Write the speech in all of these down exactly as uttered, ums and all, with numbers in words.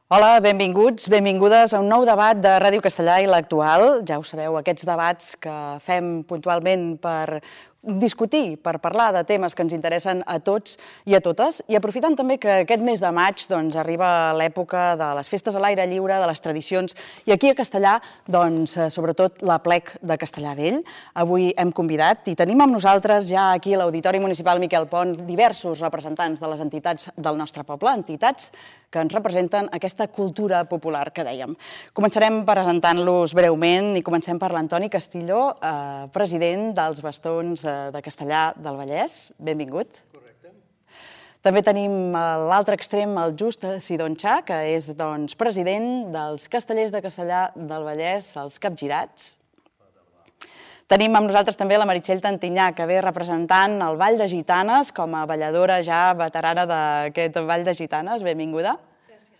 Hola, benvinguts, benvingudes a un nou debat de Ràdio Castellà i l'Actual. Ja ho sabeu, aquests debats que fem puntualment per discutir, per parlar de temes que ens interessen a tots i a totes, i aprofitant també que aquest mes de maig doncs, arriba l'època de les festes a l'aire lliure, de les tradicions, i aquí a Castellà, doncs, sobretot l'Aplec de Castellar Vell. Avui hem convidat i tenim amb nosaltres ja aquí a l'Auditori Municipal Miquel Pont diversos representants de les entitats del nostre poble, entitats que ens representen aquesta cultura popular que dèiem. Començarem presentant-los breument i comencem per l'Antoni Castillo, eh, president dels Bastons eh, de Castellar del Vallès. Benvingut. Correcte. També tenim a l'altre extrem el Just Sidonxà, que és doncs, president dels Castellers de Castellar del Vallès, els Capgirats. Tenim amb nosaltres també la Meritxell Tantinyà, que ve representant el Ball de Gitanes com a balladora ja veterana d'aquest Ball de Gitanes. Benvinguda. Gràcies.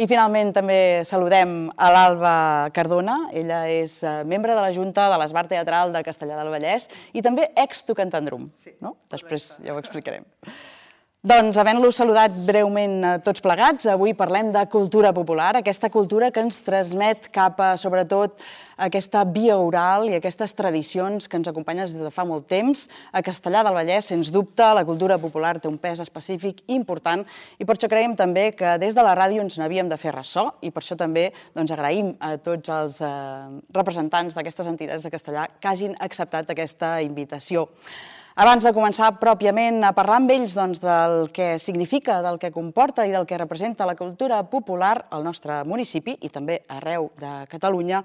I finalment també saludem a l'Alba Cardona. Ella és membre de la Junta de l'Esbart Teatral de Castellar del Vallès i també ex-tocantandrum. No? Després ja ho explicarem. Doncs, havent-los saludat breument a tots plegats, avui parlem de cultura popular, aquesta cultura que ens transmet cap a, sobretot, aquesta via oral i aquestes tradicions que ens acompanyen des de fa molt temps. A Castellar del Vallès, sens dubte, la cultura popular té un pes específic important i per això creiem també que des de la ràdio ens n'havíem de fer ressò i per això també doncs, agraïm a tots els eh, representants d'aquestes entitats de Castellar que hagin acceptat aquesta invitació. Abans de començar pròpiament a parlar amb ells doncs, del que significa, del que comporta i del que representa la cultura popular al nostre municipi i també arreu de Catalunya,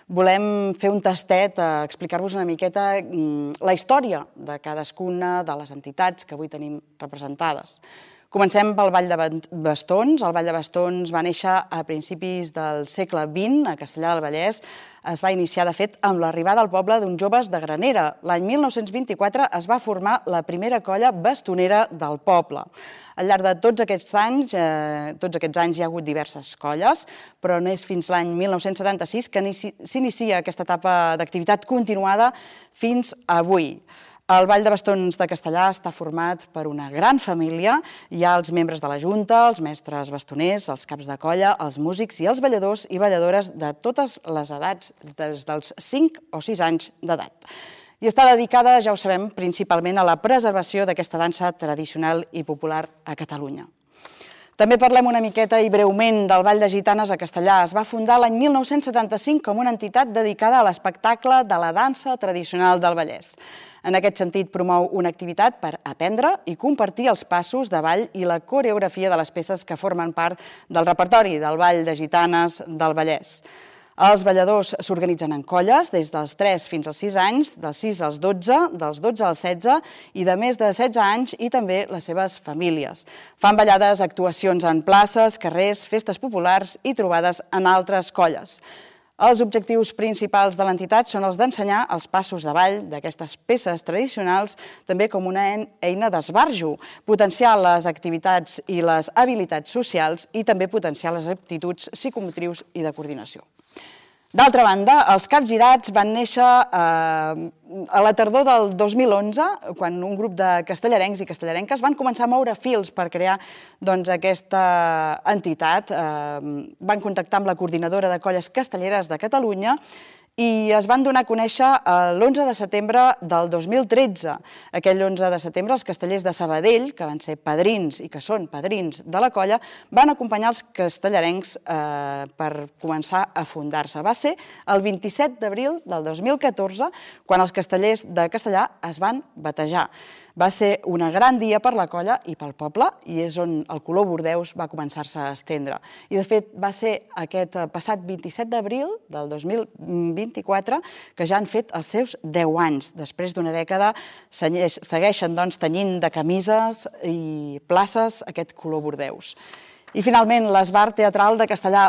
volem fer un tastet a explicar-vos una miqueta la història de cadascuna de les entitats que avui tenim representades. Comencem pel Ball de Bastons. El Ball de Bastons va néixer a principis del segle vint a Castellar del Vallès. Es va iniciar, de fet, amb l'arribada al poble d'uns joves de Granera. L'any mil nou-cents vint-i-quatre es va formar la primera colla bastonera del poble. Al llarg de tots aquests anys, eh, tots aquests anys hi ha hagut diverses colles, però no és fins l'any mil nou-cents setanta-sis que s'inicia aquesta etapa d'activitat continuada fins avui. El Ball de Bastons de Castellar està format per una gran família. Hi ha els membres de la Junta, els mestres bastoners, els caps de colla, els músics i els balladors i balladores de totes les edats, des dels cinc o sis anys d'edat. I està dedicada, ja ho sabem, principalment a la preservació d'aquesta dansa tradicional i popular a Catalunya. També parlem una miqueta i breument del Ball de Gitanes a Castellar. Es va fundar l'any mil nou-cents setanta-cinc com una entitat dedicada a l'espectacle de la dansa tradicional del Vallès. En aquest sentit, promou una activitat per aprendre i compartir els passos de ball i la coreografia de les peces que formen part del repertori del Ball de Gitanes del Vallès. Els balladors s'organitzen en colles des dels tres fins als sis anys, dels sis als dotze, dels dotze als setze i de més de setze anys i també les seves famílies. Fan ballades, actuacions en places, carrers, festes populars i trobades en altres colles. Els objectius principals de l'entitat són els d'ensenyar els passos de ball d'aquestes peces tradicionals, també com una eina d'esbarjo, potenciar les activitats i les habilitats socials i també potenciar les aptituds psicomotrius i de coordinació. D'altra banda, els Capgirats van néixer a la tardor del dos mil onze, quan un grup de castellarencs i castellarenques van començar a moure fils per crear aquesta entitat. Van contactar amb la coordinadora de colles castelleres de Catalunya i es van donar a conèixer l'onze de setembre del dos mil tretze. Aquell onze de setembre els castellers de Sabadell, que van ser padrins i que són padrins de la colla, van acompanyar els castellarencs per començar a fundar-se. Va ser el vint-i-set d'abril del dos mil catorze quan els castellers de Castellar es van batejar. Va ser un gran dia per la colla i pel poble i és on el color bordeus va començar-se a estendre. I de fet va ser aquest passat vint-i-set d'abril del dos mil vint-i-quatre que ja han fet els seus deu anys. Després d'una dècada segueixen tenyint de camises i places aquest color bordeus. I finalment, l'Esbart Teatral de Castellar,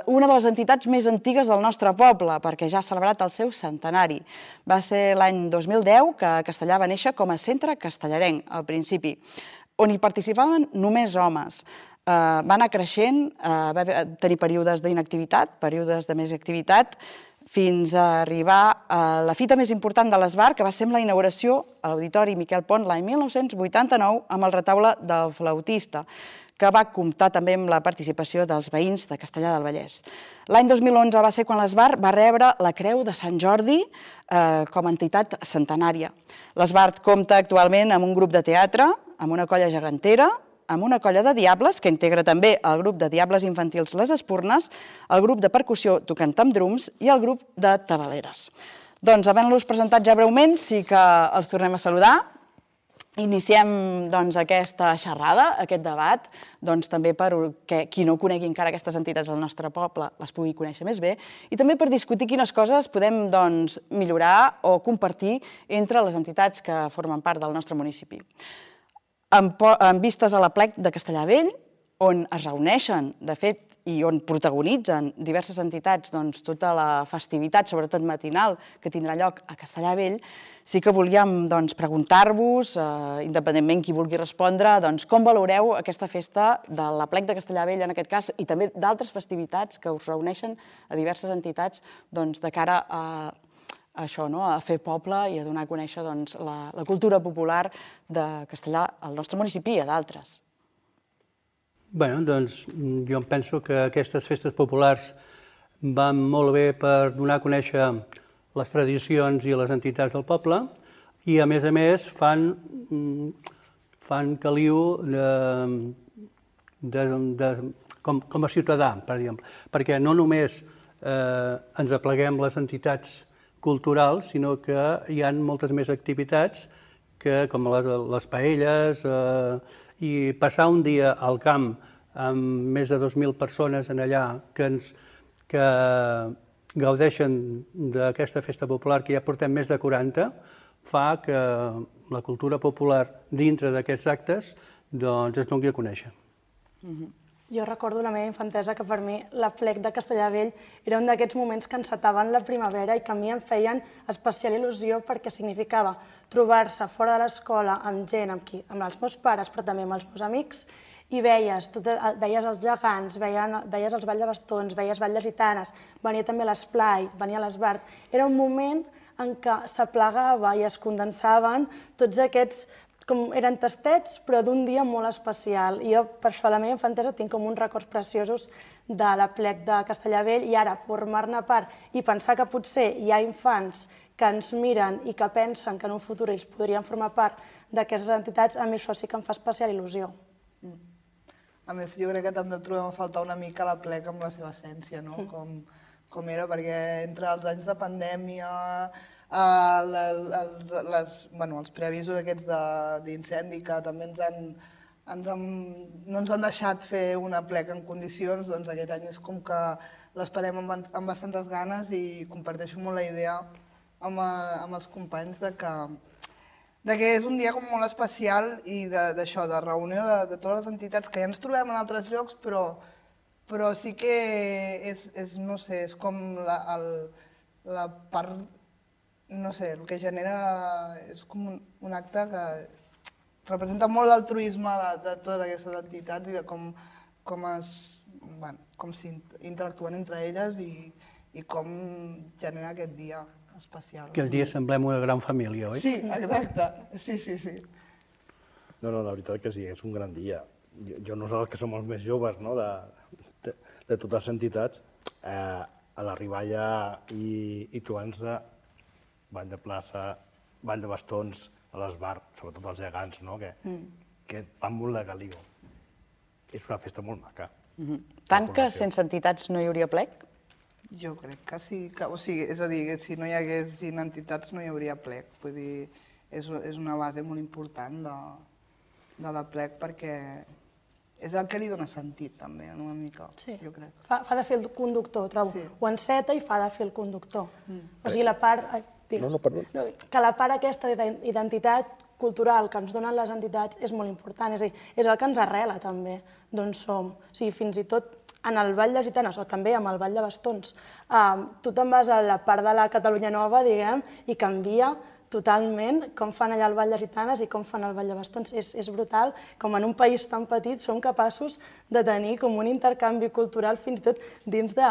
una de les entitats més antigues del nostre poble, perquè ja ha celebrat el seu centenari. Va ser l'any dos mil deu que Castellar va néixer com a centre castellarenc, al principi, on hi participaven només homes. Va anar creixent, va tenir períodes d'inactivitat, períodes de més activitat, fins a arribar a la fita més important de l'Esbart, que va ser amb la inauguració a l'Auditori Miquel Pont l'any mil nou-cents vuitanta-nou amb el retaule del flautista, que va comptar també amb la participació dels veïns de Castellar del Vallès. L'any dos mil onze va ser quan l'Esbart va rebre la Creu de Sant Jordi com a entitat centenària. L'Esbart compta actualment amb un grup de teatre, amb una colla gegantera, amb una colla de diables, que integra també el grup de diables infantils Les Espurnes, el grup de percussió Tocant amb Drums i el grup de tabaleres. Doncs, havent-los presentat ja breument, sí que els tornem a saludar. Iniciem aquesta xerrada, aquest debat, també perquè qui no conegui encara aquestes entitats del nostre poble les pugui conèixer més bé i també per discutir quines coses podem millorar o compartir entre les entitats que formen part del nostre municipi. En vistes a l'Aplec de Castellar Vell, on es reuneixen, de fet, i on protagonitzen diverses entitats tota la festivitat, sobretot matinal, que tindrà lloc a Castellar Vell, sí que volíem preguntar-vos, independentment qui vulgui respondre, com valoreu aquesta festa de l'Aplec de Castellar Vell, en aquest cas, i també d'altres festivitats que us reuneixen a diverses entitats de cara a això, a fer poble i a donar a conèixer la cultura popular de Castellar al nostre municipi i a d'altres. Bé, doncs jo penso que aquestes festes populars van molt bé per donar a conèixer les tradicions i les entitats del poble i, a més a més, fan caliu com a ciutadà, per exemple, perquè no només ens apleguem les entitats culturals, sinó que hi ha moltes més activitats com les paelles, i passar un dia al camp amb més de dos mil persones en allà que gaudeixen d'aquesta festa popular, que ja portem més de quaranta, fa que la cultura popular dintre d'aquests actes es doni a conèixer. Jo recordo la meva infantesa que per mi l'Aplec de Castellar Vell era un d'aquests moments que encetaven la primavera i que a mi em feien especial il·lusió perquè significava trobar-se fora de l'escola amb gent, amb els meus pares, però també amb els meus amics, i veies els gegants, veies els balls de bastons, veies balls de gitanes, venia també l'esplai, venia l'Esbart. Era un moment en què s'aplegava i es condensaven tots aquests, com eren tastets, però d'un dia molt especial. I jo, per això, a la meva infantesa tinc com uns records preciosos de l'Aplec de Castellar Vell i ara formar-ne part i pensar que potser hi ha infants que ens miren i que pensen que en un futur ells podrien formar part d'aquestes entitats, a mi això sí que em fa especial il·lusió. A més, jo crec que també el trobem a faltar una mica l'Aplec amb la seva essència, com era, perquè entre els anys de pandèmia, els preavisos aquests d'incendi que també no ens han deixat fer un Aplec en condicions, doncs aquest any és com que l'esperem amb bastantes ganes i comparteixo molt la idea amb els companys que és un dia molt especial i d'això, de reunió de totes les entitats que ja ens trobem en altres llocs, però sí que és, no sé, és com la part, no sé, el que genera és com un acte que representa molt l'altruisme de totes aquestes entitats i de com s'interactuen entre elles i com genera aquest dia especial. Aquell dia semblem una gran família, oi? Sí, exacte. Sí, sí, sí. No, no, la veritat que sí, és un gran dia. Jo, nosaltres que som els més joves de totes les entitats, a l'arribar allà i trobant-nos ball de plaça, ball de bastons, a l'Esbart, sobretot els gegants, que fan molt de caliu. És una festa molt maca. Tant que sense entitats no hi hauria Aplec? Jo crec que sí, o sigui, és a dir, si no hi haguessin entitats no hi hauria Aplec, vull dir, és una base molt important de l'Aplec perquè és el que li dona sentit també, una mica, jo crec. Fa de fil conductor, trobo, ho enceta i fa de fil conductor. O sigui, la part... No, no, perdó. Que la part aquesta d'identitat cultural que ens donen les entitats és molt important, és a dir, és el que ens arrela també d'on som. O sigui, fins i tot en el Ball de Gitanes, o també amb el Ball de Bastons, tu te'n vas a la part de la Catalunya Nova, diguem, i canvia totalment com fan allà el Ball de Gitanes i com fan el Ball de Bastons. És brutal com en un país tan petit som capaços de tenir com un intercanvi cultural fins i tot dins de,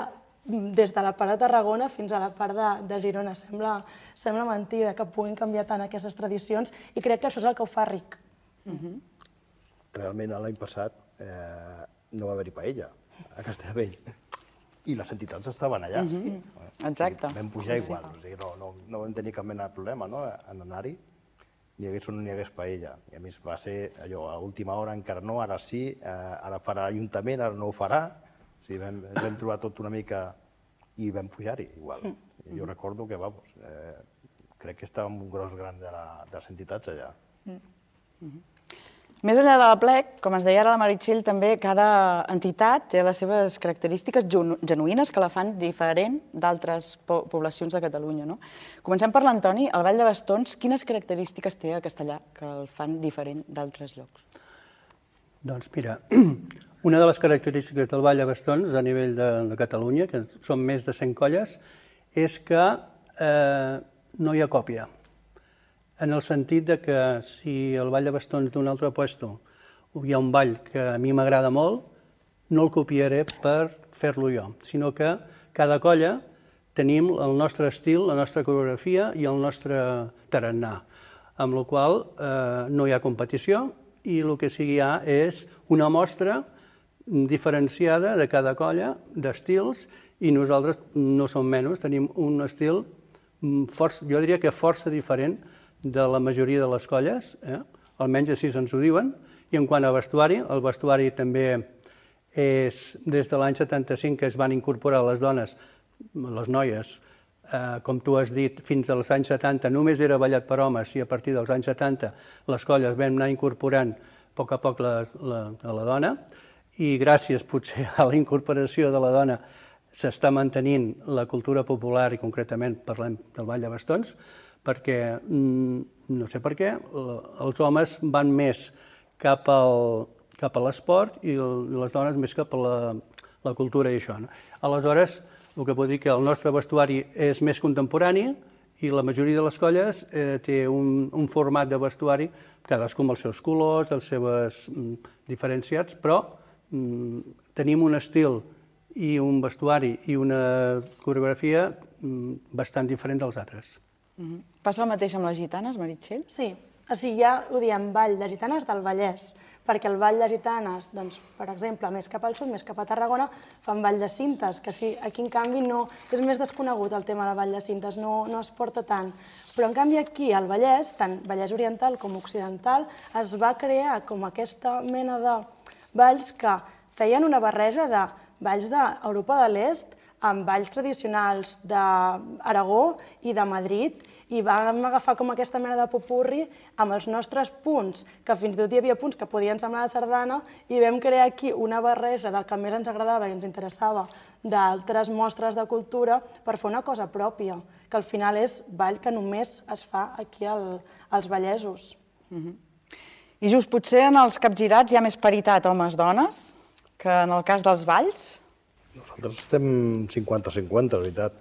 des de la part de Tarragona fins a la part de Girona. Sembla mentida que puguin canviar tant aquestes tradicions i crec que això és el que ho fa ric. Realment l'any passat no va haver-hi paella a Castellvell. I les entitats estaven allà. Exacte. Vam pujar igual, no vam tenir cap mena de problema en anar-hi, ni hi hagués o no hi hagués paella. I a més va ser allò, a última hora encara no, ara sí, ara farà l'Ajuntament, ara no ho farà. O sigui, vam trobar tot una mica i vam pujar-hi igual. Jo recordo que, vamos, crec que estàvem un gros gran de les entitats allà. Més enllà de la plec, com ens deia ara la Meritxell, també cada entitat té les seves característiques genuïnes que la fan diferent d'altres poblacions de Catalunya. Comencem per l'Antoni. El Ball de Bastons, quines característiques té a Castellar que el fan diferent d'altres llocs? Doncs mira, una de les característiques del Ball de Bastons a nivell de Catalunya, que són més de cent colles, és que no hi ha còpia. En el sentit que si el Ball de Bastons d'un altre puesto hi ha un ball que a mi m'agrada molt, no el copiaré per fer-lo jo, sinó que cada colla tenim el nostre estil, la nostra coreografia i el nostre tarannà, amb la qual cosa no hi ha competició i el que sí que hi ha és una mostra diferenciada de cada colla d'estils i nosaltres no som menys, tenim un estil, jo diria que força diferent de la majoria de les colles, almenys així ens ho diuen, i en quant a vestuari, el vestuari també és des de l'any setanta-cinc que es van incorporar les dones, les noies, com tu has dit, fins als anys setanta només era ballat per homes i a partir dels anys setanta les colles vam anar incorporant a poc a poc la dona i gràcies potser a la incorporació de la dona s'està mantenint la cultura popular i concretament parlem del Ball de Bastons, perquè, no sé per què, els homes van més cap a l'esport i les dones més cap a la cultura i això. Aleshores, el que pot dir que el nostre vestuari és més contemporani i la majoria de les colles té un format de vestuari, cadascú amb els seus colors, els seus diferenciats, però tenim un estil i un vestuari i una coreografia bastant diferent dels altres. Passa el mateix amb les gitanes, Meritxell? Sí, o sigui, ja ho diem, Ball de Gitanes del Vallès, perquè el Ball de Gitanes, doncs, per exemple, més cap al sud, més cap a Tarragona, fan Ball de Cintes, que aquí, en canvi, no és més desconegut el tema del Ball de Cintes, no es porta tant. Però, en canvi, aquí, al Vallès, tant Vallès Oriental com Occidental, es va crear com aquesta mena de balls que feien una barreja de balls d'Europa de l'Est amb balls tradicionals d'Aragó i de Madrid i vam agafar com aquesta mena de popurri amb els nostres punts, que fins i tot hi havia punts que podien semblar de sardana i vam crear aquí una barreja del que més ens agradava i ens interessava d'altres mostres de cultura per fer una cosa pròpia, que al final és ball que només es fa aquí als vallesos. I just potser en els capgirats hi ha més paritat homes-dones que en el cas dels balls? Nosaltres estem cinquanta cinquanta, la veritat.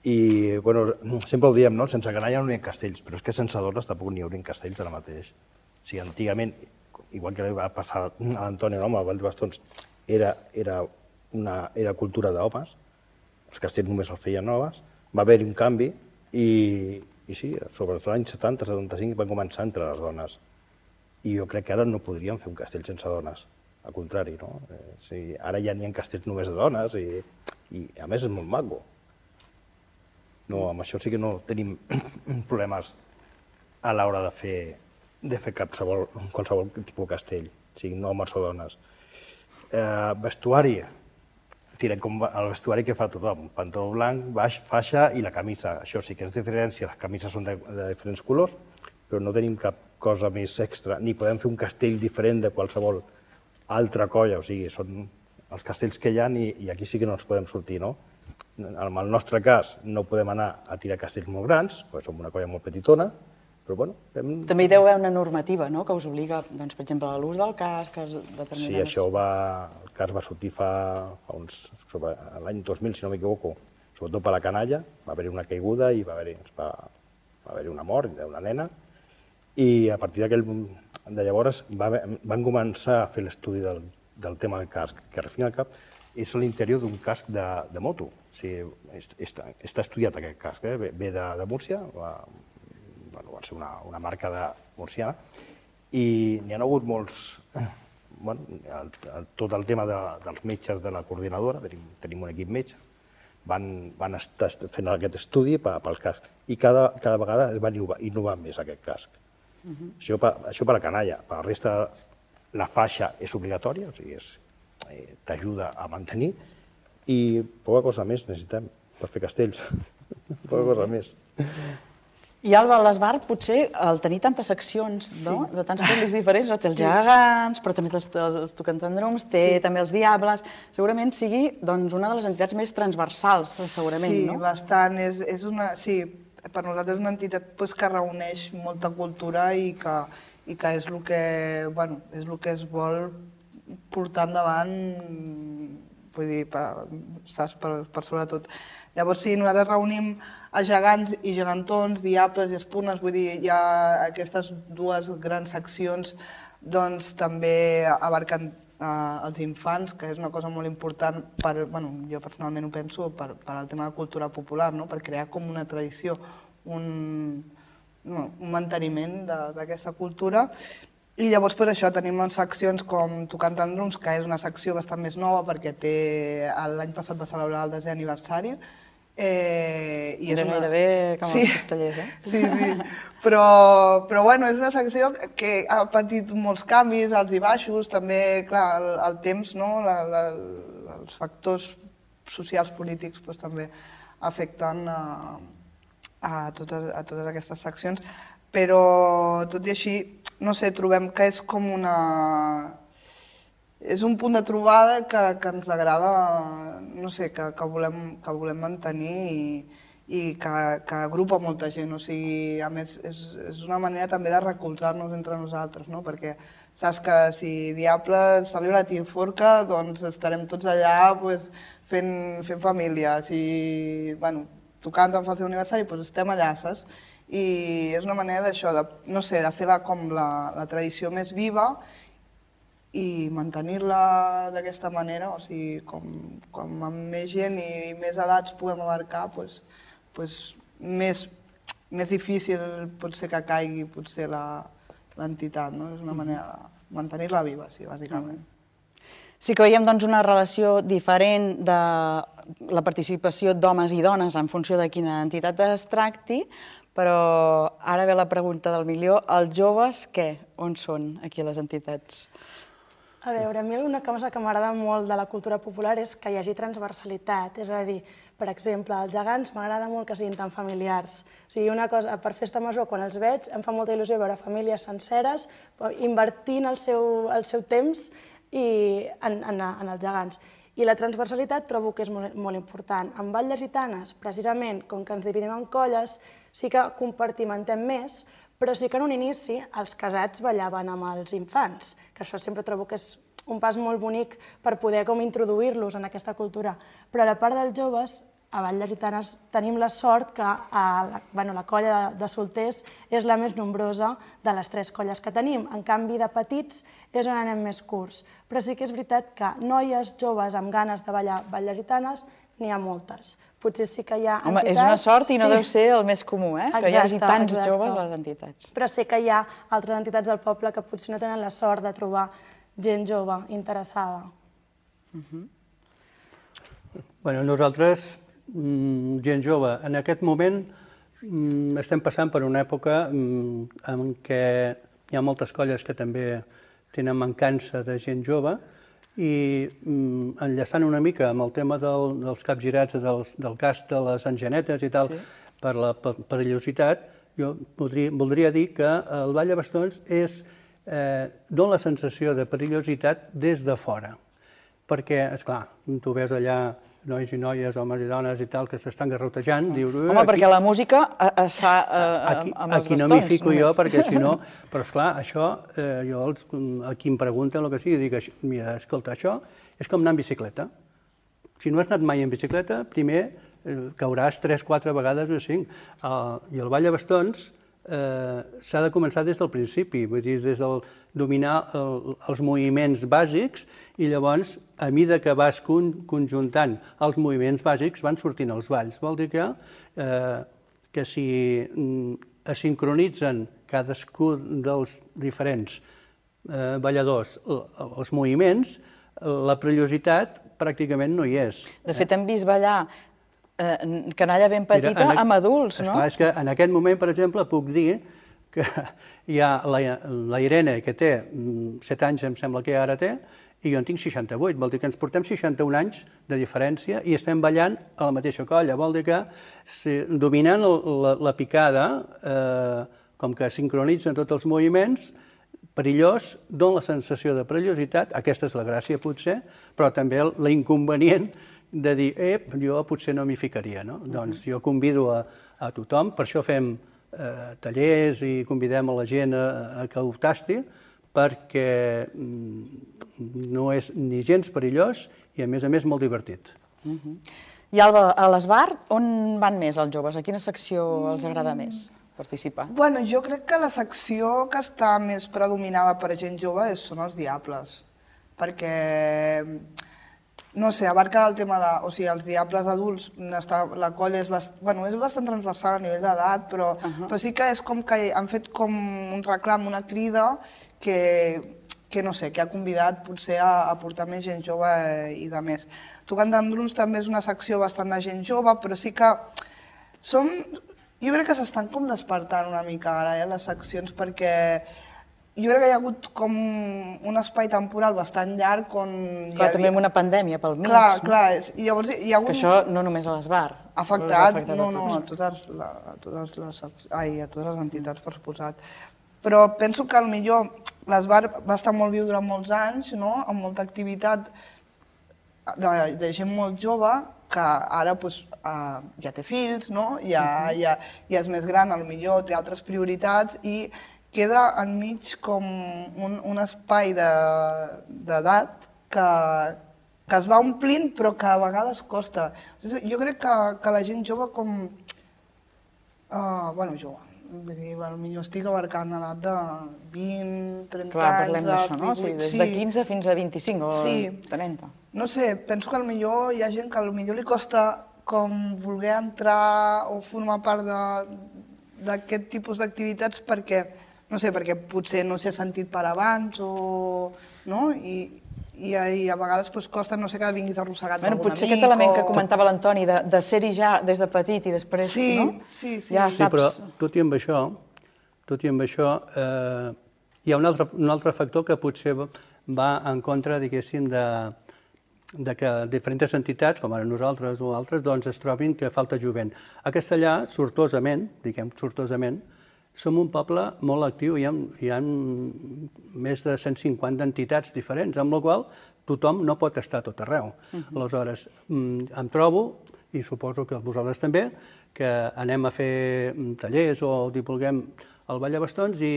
I, bueno, sempre ho diem, no? Sense canalla no hi ha castells, però és que sense dones tampoc n'hi haurien castells ara mateix. O sigui, antigament, igual que va passar a l'Antoni, no? Amb el Ball de Bastons, era cultura d'homes, els castells només els feien noves, va haver-hi un canvi i sí, sobre els anys setanta setanta-cinc van començar entre les dones. I jo crec que ara no podríem fer un castell sense dones. Al contrari, no? Ara ja n'hi ha castells només de dones i a més és molt maco. Amb això sí que no tenim problemes a l'hora de fer qualsevol tipus de castell, siguin homes o dones. Vestuari, el vestuari que fa tothom, pantaló blanc, baix, faixa i la camisa. Això sí que és diferència, les camises són de diferents colors, però no tenim cap cosa més extra, ni podem fer un castell diferent de qualsevol altra colla, o sigui, són els castells que hi ha i aquí sí que no ens podem sortir, no? En el nostre cas no podem anar a tirar castells molt grans, perquè som una colla molt petitona, però bueno... També hi deu haver una normativa, no?, que us obliga, doncs, per exemple, a l'ús del casc, a determinades... Sí, això va... El casc va sortir fa uns... l'any dos mil, si no m'equivoco, sobretot per la canalla, va haver-hi una caiguda i va haver-hi una mort d'una nena, i a partir d'aquell de llavors van començar a fer l'estudi del tema del casc, que al fin i al cap és l'interior d'un casc de moto. O sigui, està estudiat aquest casc, ve de Múrcia, va ser una marca murciana, i n'hi ha hagut tot el tema dels metges de la coordinadora, tenim un equip metge, van estar fent aquest estudi pel casc i cada vegada es va innovar més aquest casc. Això per la canalla. Per la resta, la faixa és obligatòria, o sigui, t'ajuda a mantenir i poca cosa més necessitem per fer castells, poca cosa més. I Alba, l'Esbar, potser, al tenir tantes seccions de tants públics diferents, té els gegants, però també els tocantandrums, té també els diables, segurament sigui una de les entitats més transversals, segurament, no? Sí, bastant. Sí, per nosaltres és una entitat que reuneix molta cultura i que és el que es vol portar endavant, vull dir, saps, per sobretot. Llavors, sí, nosaltres reunim a gegants i gegantons, diables i espunes, vull dir, hi ha aquestes dues grans seccions, doncs també abarquen els infants, que és una cosa molt important, jo personalment ho penso, per al tema de cultura popular, per crear com una tradició, un manteniment d'aquesta cultura. I llavors, per això, tenim seccions com Tocantandrums, que és una secció bastant més nova perquè l'any passat va celebrar el desè aniversari. Era gairebé com els castellers, eh? Sí, sí. Però, bueno, és una secció que ha patit molts canvis, alts i baixos, també, clar, el temps, els factors socials, polítics, també afecten a totes aquestes seccions. Però, tot i així, no sé, trobem que és com una... És un punt de trobada que ens agrada, no sé, que volem mantenir i que agrupa molta gent. O sigui, a més, és una manera també de recolzar-nos entre nosaltres, no? Perquè saps que si Diable celebra Tinforca, doncs estarem tots allà fent família. Si tocant en el seu aniversari, doncs estem allà, saps? I és una manera d'això, no sé, de fer com la tradició més viva i mantenir-la d'aquesta manera, o sigui, com amb més gent i més edats podem abarcar, doncs més difícil pot ser que caigui potser l'entitat, no? És una manera de mantenir-la viva, sí, bàsicament. Sí que veiem doncs una relació diferent de la participació d'homes i dones en funció de quina entitat es tracti, però ara ve la pregunta del milió, els joves què? On són aquí les entitats? A veure, a mi una cosa que m'agrada molt de la cultura popular és que hi hagi transversalitat, és a dir, per exemple, els gegants m'agrada molt que siguin tan familiars. O sigui, una cosa, per festa major, quan els veig, em fa molta il·lusió veure famílies senceres invertint el seu temps en els gegants. I la transversalitat trobo que és molt important. En Batlles Gitanes, precisament, com que ens dividim en colles, sí que compartimentem més, però sí que en un inici els casats ballaven amb els infants, que això sempre trobo que és un pas molt bonic per poder com introduir-los en aquesta cultura. Però a la part dels joves, a Batlles Gitanes tenim la sort que la colla de solters és la més nombrosa de les tres colles que tenim. En canvi, de petits és on anem més curts. Però sí que és veritat que noies joves amb ganes de ballar Batlles Gitanes n'hi ha moltes. Potser sí que hi ha entitats... Home, és una sort i no deu ser el més comú, eh? Que hi hagi tants joves a les entitats. Però sé que hi ha altres entitats del poble que potser no tenen la sort de trobar gent jove interessada. Bé, nosaltres, gent jove, en aquest moment estem passant per una època en què hi ha moltes colles que també tenen mancança de gent jove i enllaçant una mica amb el tema dels capgirats del cas de les engenetes i tal, per la perillositat, jo voldria dir que el Ball de Bastons dona la sensació de perillositat des de fora, perquè, esclar, tu ves allà nois i noies, homes i dones i tal, que s'estan garrotejant, dius... Home, perquè la música es fa amb els bastons. Aquí no m'hi fico jo, perquè si no... Però, esclar, això, jo a qui em pregunten el que sigui, dic, mira, escolta, això és com anar en bicicleta. Si no has anat mai en bicicleta, primer cauràs tres, quatre vegades o cinc. I el Ball de Bastons s'ha de començar des del principi, vull dir, des del dominar els moviments bàsics i llavors, a mesura que vas conjuntant els moviments bàsics, van sortint els balls. Vol dir que si es sincronitzen cadascun dels diferents balladors els moviments, la perillositat pràcticament no hi és. De fet, hem vist ballar canalla ben petita amb adults, no? Esclar, és que en aquest moment, per exemple, puc dir que hi ha la Irene, que té set anys, em sembla que ara té, i jo en tinc seixanta-vuit, vol dir que ens portem seixanta-un anys de diferència i estem ballant a la mateixa colla, vol dir que dominant la picada, com que sincronitzen tots els moviments, perillós, dona la sensació de perillositat, aquesta és la gràcia potser, però també l'inconvenient de dir, ep, jo potser no m'hi ficaria, no? Doncs jo convido a tothom, per això fem tallers i convidem a la gent a que ho tasti, perquè no és ni gens perillós i, a més a més, molt divertit. I Alba, a l'Esbar, on van més els joves? A quina secció els agrada més participar? Bueno, jo crec que la secció que està més predominada per gent jove són els Diables, perquè, no sé, abarca el tema de... O sigui, els Diables adults, la colla és bastant transversal a nivell d'edat, però sí que és com que han fet com un reclam, una crida, que no sé, que ha convidat potser a portar més gent jove i de més. Tocant d'Andruns també és una secció bastant de gent jove, però sí que som... Jo crec que s'estan com despertant una mica ara, les seccions, perquè jo crec que hi ha hagut com un espai temporal bastant llarg on... Clar, també amb una pandèmia pel mig. Clar, clar, i llavors hi ha hagut... Que això no només a l'Esbar. Ha afectat, no, no, a totes les entitats, per suposat. Però penso que potser l'Esbar va estar molt viu durant molts anys, amb molta activitat de gent molt jove, que ara ja té fills, ja és més gran, potser té altres prioritats i queda enmig com un espai d'edat que es va omplint però que a vegades costa. Jo crec que la gent jove com... Bueno, jove, potser estic abarcant l'edat de vint, trenta anys... Clar, parlem d'això, no? Des de quinze fins a vint-i-cinc o trenta. No sé, penso que potser hi ha gent que potser li costa com voler entrar o formar part d'aquest tipus d'activitats perquè, no sé, perquè potser no s'ha sentit per abans o... I a vegades costa, no sé, que vinguis arrossegat d'algun amic o... Potser aquest element que comentava l'Antoni, de ser-hi ja des de petit i després, no? Sí, sí, sí. Sí, però tot i amb això, tot i amb això, hi ha un altre factor que potser va en contra, diguéssim, de que diferents entitats, com ara nosaltres o altres, doncs es trobin que falta jovent. A Castellà, sortosament, diguem sortosament, som un poble molt actiu, hi ha més de cent cinquanta entitats diferents, amb la qual tothom no pot estar tot arreu. Aleshores, em trobo, i suposo que vosaltres també, que anem a fer tallers o divulguem el Ball de Bastons i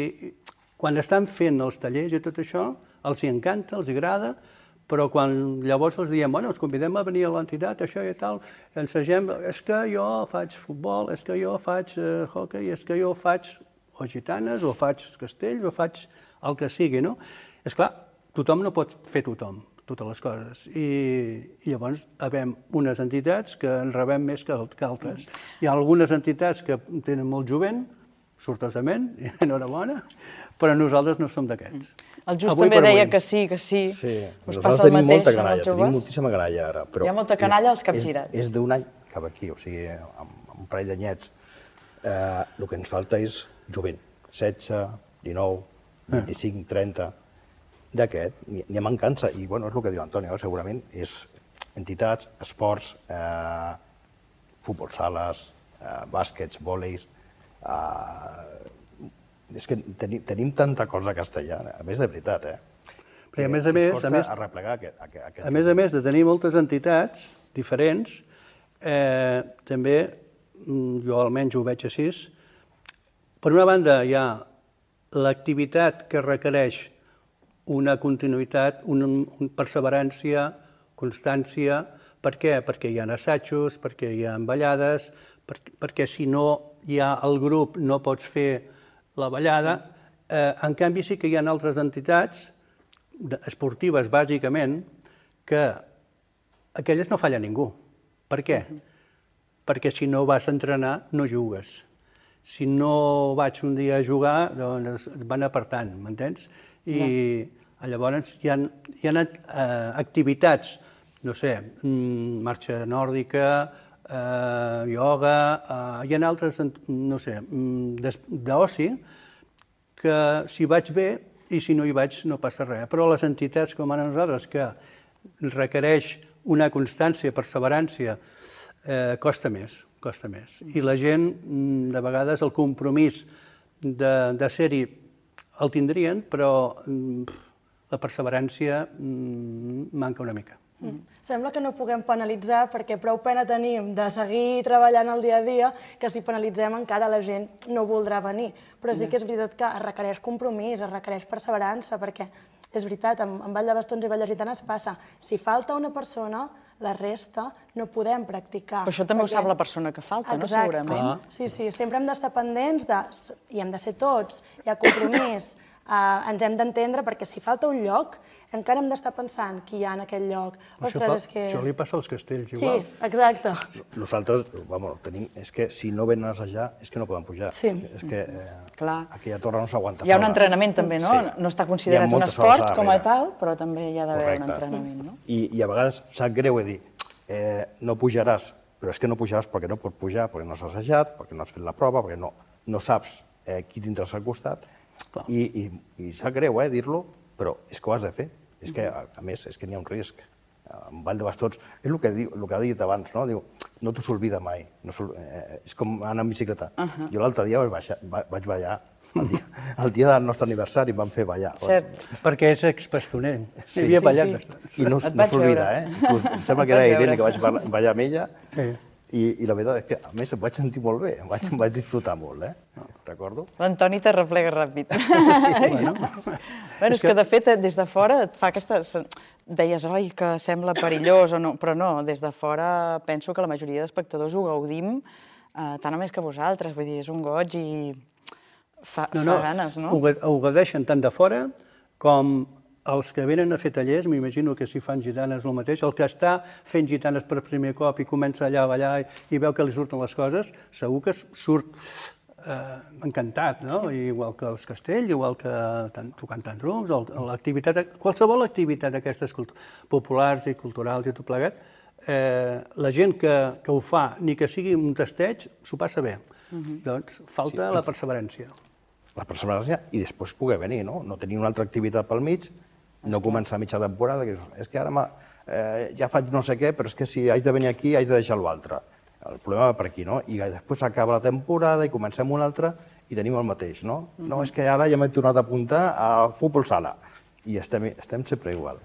quan estan fent els tallers i tot això, els hi encanta, els hi agrada, però quan llavors els diem, bueno, els convidem a venir a l'entitat, això i tal, ensegem, és que jo faig futbol, és que jo faig hockey, és que jo faig o gitanes, o faig castells, o faig el que sigui, no? És clar, tothom no pot fer tothom, totes les coses, i llavors havem unes entitats que en rebem més que altres. Hi ha algunes entitats que tenen molt jovent, sortosament, i enhorabona, però nosaltres no som d'aquests. El Just també deia que sí, que sí. Sí, nosaltres tenim molta canalla, tenim moltíssima canalla ara. Hi ha molta canalla als capgirats. És d'un any cap aquí, o sigui, amb un parell d'anyets. El que ens falta és jovent, setze, dinou, vint-i-cinc, trenta, d'aquest, n'hi ha mancança. I, bueno, és el que diu Antoni, segurament, és entitats, esports, futbol sales, bàsquets, vòleis... És que tenim tanta cosa a Castellà, a més de veritat, eh? Perquè a més a més... Ens costa arreplegar aquest... A més a més de tenir moltes entitats diferents, també, jo almenys ho veig així, per una banda hi ha l'activitat que requereix una continuïtat, una perseverància, constància. Per què? Perquè hi ha assajos, perquè hi ha ballades, perquè si no hi ha el grup no pots fer la ballada. En canvi, sí que hi ha altres entitats, esportives bàsicament, que aquelles no falla ningú. Per què? Perquè si no vas a entrenar, no jugues. Si no vaig un dia a jugar, doncs van apartant, m'entens? I llavors hi ha, hi ha activitats, no sé, marxa nòrdica, ioga, hi ha altres, no sé, d'oci, que si vaig bé i si no hi vaig no passa res. Però les entitats com ara nosaltres, que requereix una constància, perseverància, costa més, costa més. I la gent, de vegades, el compromís de ser-hi el tindrien, però la perseverància manca una mica. Sembla que no puguem penalitzar perquè prou pena tenim de seguir treballant el dia a dia que si penalitzem encara la gent no voldrà venir. Però sí que és veritat que es requereix compromís, es requereix perseverança, perquè és veritat, amb Ball de Bastons i Balles Gitanes passa. Si falta una persona, la resta no podem practicar. Però això també ho sap la persona que falta, no? Segurament. Sí, sí, sempre hem d'estar pendents i hem de ser tots, hi ha compromís, ens hem d'entendre perquè si falta un lloc encara hem d'estar pensant qui hi ha en aquell lloc. Això li passa als castells, igual. Sí, exacte. Nosaltres, vamos, tenim, és que si no venen a assajar és que no poden pujar. Sí. És que aquella torre no s'aguanta. Hi ha un entrenament també, no? No està considerat un esport com a tal, però també hi ha d'haver un entrenament, no? I a vegades sap greu dir, no pujaràs, però és que no pujaràs perquè no pots pujar, perquè no has assajat, perquè no has fet la prova, perquè no saps qui tindràs al costat. I sap greu dir-lo, però és que ho has de fer. És que, a més, és que n'hi ha un risc. En Ball de Bastons, és el que ha dit abans, no? Diu, no t'ho s'olvida mai. És com anar en bicicleta. Jo l'altre dia vaig ballar, el dia del nostre aniversari vam fer ballar. Cert. Perquè és expastoner. Hi havia ballat bastant. I no s'olvida, eh? Em sembla que era Irene que vaig ballar amb ella. Sí. I la veritat és que, a més, em vaig sentir molt bé, em vaig disfrutar molt, eh? Recordo. L'Antoni te replega ràpid. Bé, és que, de fet, des de fora et fa aquesta... Deies, oi, que sembla perillós o no, però no, des de fora penso que la majoria d'espectadors ho gaudim tant o més que vosaltres, vull dir, és un goig i fa ganes, no? Ho gaudeixen tant de fora com els que venen a fer tallers, m'imagino que si fan gitanes el mateix, el que està fent gitanes per primer cop i comença allà a ballar i veu que li surten les coses, segur que surt encantat, no? Igual que els castells, igual que tocant tandrums, qualsevol activitat d'aquestes populars i culturals i tot plegat, la gent que ho fa, ni que sigui un tasteig, s'ho passa bé. Doncs falta la perseverància. La perseverància i després poder venir, no? No tenir una altra activitat pel mig, no començar a mitja temporada, que és que ara ja faig no sé què, però és que si haig de venir aquí haig de deixar l'altre. El problema va per aquí, no? I després acaba la temporada i comencem una altra i tenim el mateix, no? No, és que ara ja m'he tornat a apuntar a futbol sala i estem sempre igual.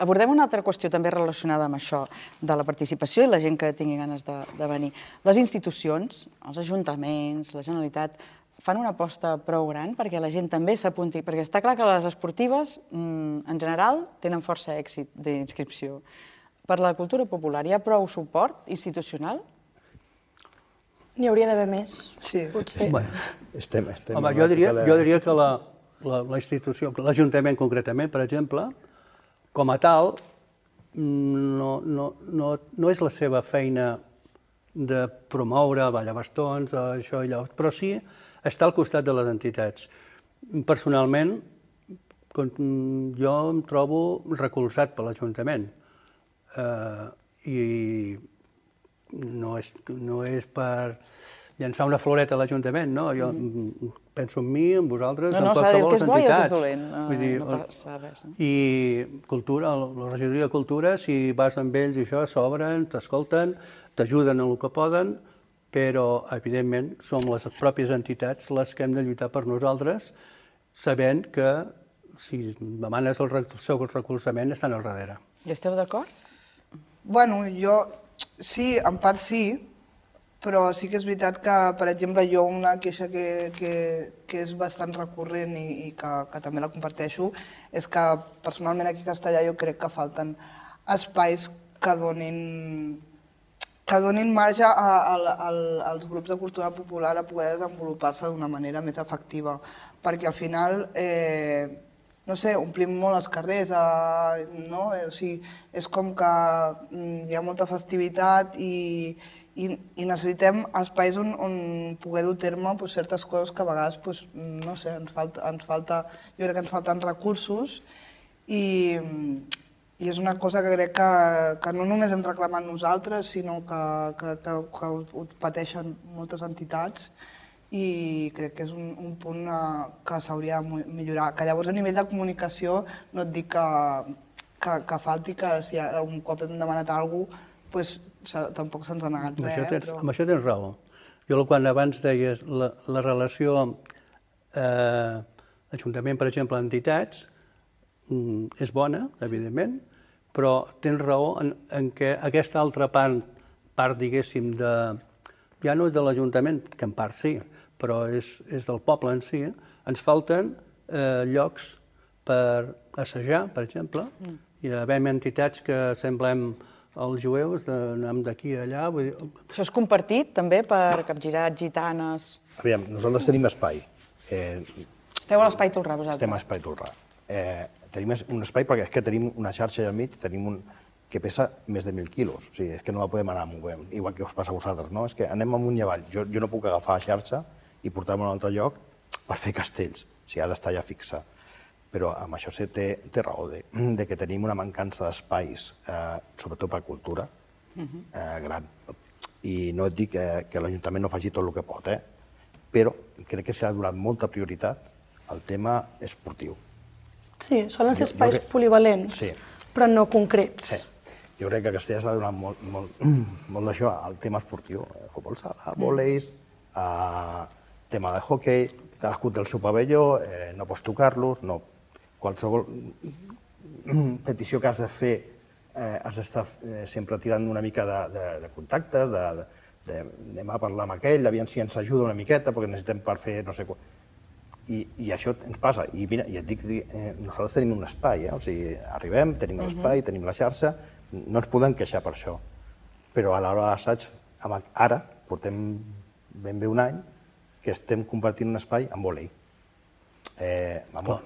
Abordem una altra qüestió també relacionada amb això de la participació i la gent que tingui ganes de venir. Les institucions, els ajuntaments, la Generalitat, fan una aposta prou gran perquè la gent també s'apunti, perquè està clar que les esportives, en general, tenen força èxit d'inscripció. Per la cultura popular hi ha prou suport institucional? N'hi hauria d'haver més, potser. Home, jo diria que la institució, l'Ajuntament concretament, per exemple, com a tal, no és la seva feina de promoure ballar bastons, això i allò, però sí està al costat de les entitats. Personalment, jo em trobo recolzat per l'Ajuntament i no és per llançar una floreta a l'Ajuntament, no? Jo penso en mi, en vosaltres, en qualsevol entitat. No, s'ha de dir que és bo i que és dolent, no passa res. I cultura, la regidoria de Cultura, si vas amb ells i això, s'obren, t'escolten, t'ajuden en el que poden, però, evidentment, som les pròpies entitats les que hem de lluitar per nosaltres, sabent que, si demanes el seu recolzament, estan al darrere. I esteu d'acord? Bueno, jo sí, en part sí, però sí que és veritat que, per exemple, jo una queixa que és bastant recurrent i que també la comparteixo és que personalment aquí a Castellà jo crec que falten espais que donin que donin marge als grups de cultura popular a poder desenvolupar-se d'una manera més efectiva, perquè al final, no sé, omplim molt els carrers, no? O sigui, és com que hi ha molta festivitat i i, i necessitem espais on, on poder dur a terme pues, certes coses que a vegades, pues, no sé, ens falta, ens falta, jo crec que ens falten recursos i, i és una cosa que crec que, que no només hem reclamat nosaltres, sinó que, que, que, que ho pateixen moltes entitats i crec que és un, un punt que s'hauria de millorar. Que llavors a nivell de comunicació no et dic que, que, que falti, que si un cop hem demanat alguna cosa, pues, tampoc se'ns ha negat res. Això tens, però... Amb això tens raó. Jo quan abans deies la, la relació eh, ajuntament, per exemple, entitats, mm, és bona, evidentment, però tens raó en, en què aquesta altra part, part diguéssim, de, ja no és de l'Ajuntament, que en part sí, però és, és del poble en si, ens falten eh, llocs per assajar, per exemple, mm. i havem entitats que semblem els jueus, anem d'aquí a allà. Vull dir... Això és compartit també per capgirats, gitanes... Aviam, nosaltres tenim espai. Eh, Esteu a l'Espai Tolrà, vosaltres? Estem a l'Espai Tolrà. Eh, tenim un espai perquè és que tenim una xarxa al mig, tenim un que pesa més de mil quilos. O sigui, és que no la podem anar movent, igual que us passa a vosaltres, no? És que anem amunt i avall. Jo, jo no puc agafar la xarxa i portar-me a un altre lloc per fer castells. O sigui, ha d'estar ja fixa. Però amb això sí té, té raó de, de que tenim una mancança d'espais, eh, sobretot per cultura, eh, gran. I no et dic que, que l'Ajuntament no faci tot el que pot, eh? Però crec que s'ha donat molta prioritat al tema esportiu. Sí, solen ser Jo- jo espais crec- polivalents, Sí. però no concrets. Sí. Jo crec que a Castella s'ha donat molt, molt, molt d'això al tema esportiu. Eh, Futbol sala, vòleis, eh, tema de hoquei, cadascú té el seu pavelló, eh, no pots tocar-los, no. Qualsevol petició que has de fer eh, has d'estar eh, sempre tirant una mica de, de, de contactes, de, de, de, anem a parlar amb aquell, aviam si ens ajuda una miqueta, perquè necessitem per fer no sé què. I, I això ens passa. I mira, i et dic, eh, nosaltres tenim un espai, eh? O sigui, arribem, tenim l'espai, tenim la xarxa, no ens podem queixar per això. Però a l'hora d'assaig, ara, portem ben bé un any, que estem compartint un espai amb vòlei. Eh, vamos,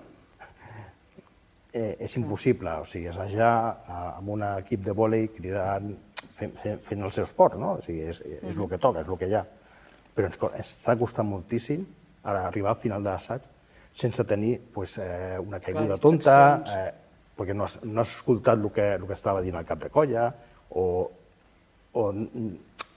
eh, és impossible, o sigui, assajar eh, amb un equip de vòlei cridant, fent, fent, fent el seu esport, no? O sigui, és, és el que toca, és el que hi ha. Però ens, co- ens està costant moltíssim ara arribar al final de l'assaig sense tenir pues, eh, una caiguda Clar, tonta, distraccions. eh, perquè no has, no has escoltat el que, el que estava dient el cap de colla, o, o,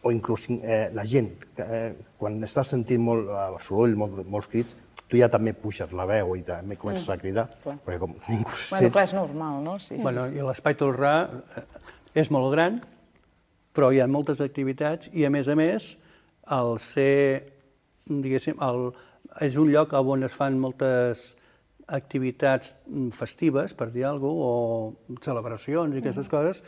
o inclús eh, la gent, que, eh, quan estàs sentint molt eh, soroll, molt, molts crits, tu ja també puixes la veu i també comences a cridar, clar. perquè com ningú se Bueno, sent... clar, és normal, no? Sí, Bueno, sí, sí. i l'Espai Tolrà eh, és molt gran, però hi ha moltes activitats i, a més a més, al ser, diguéssim, el, és un lloc on es fan moltes activitats festives, per dir alguna cosa, o celebracions i aquestes coses.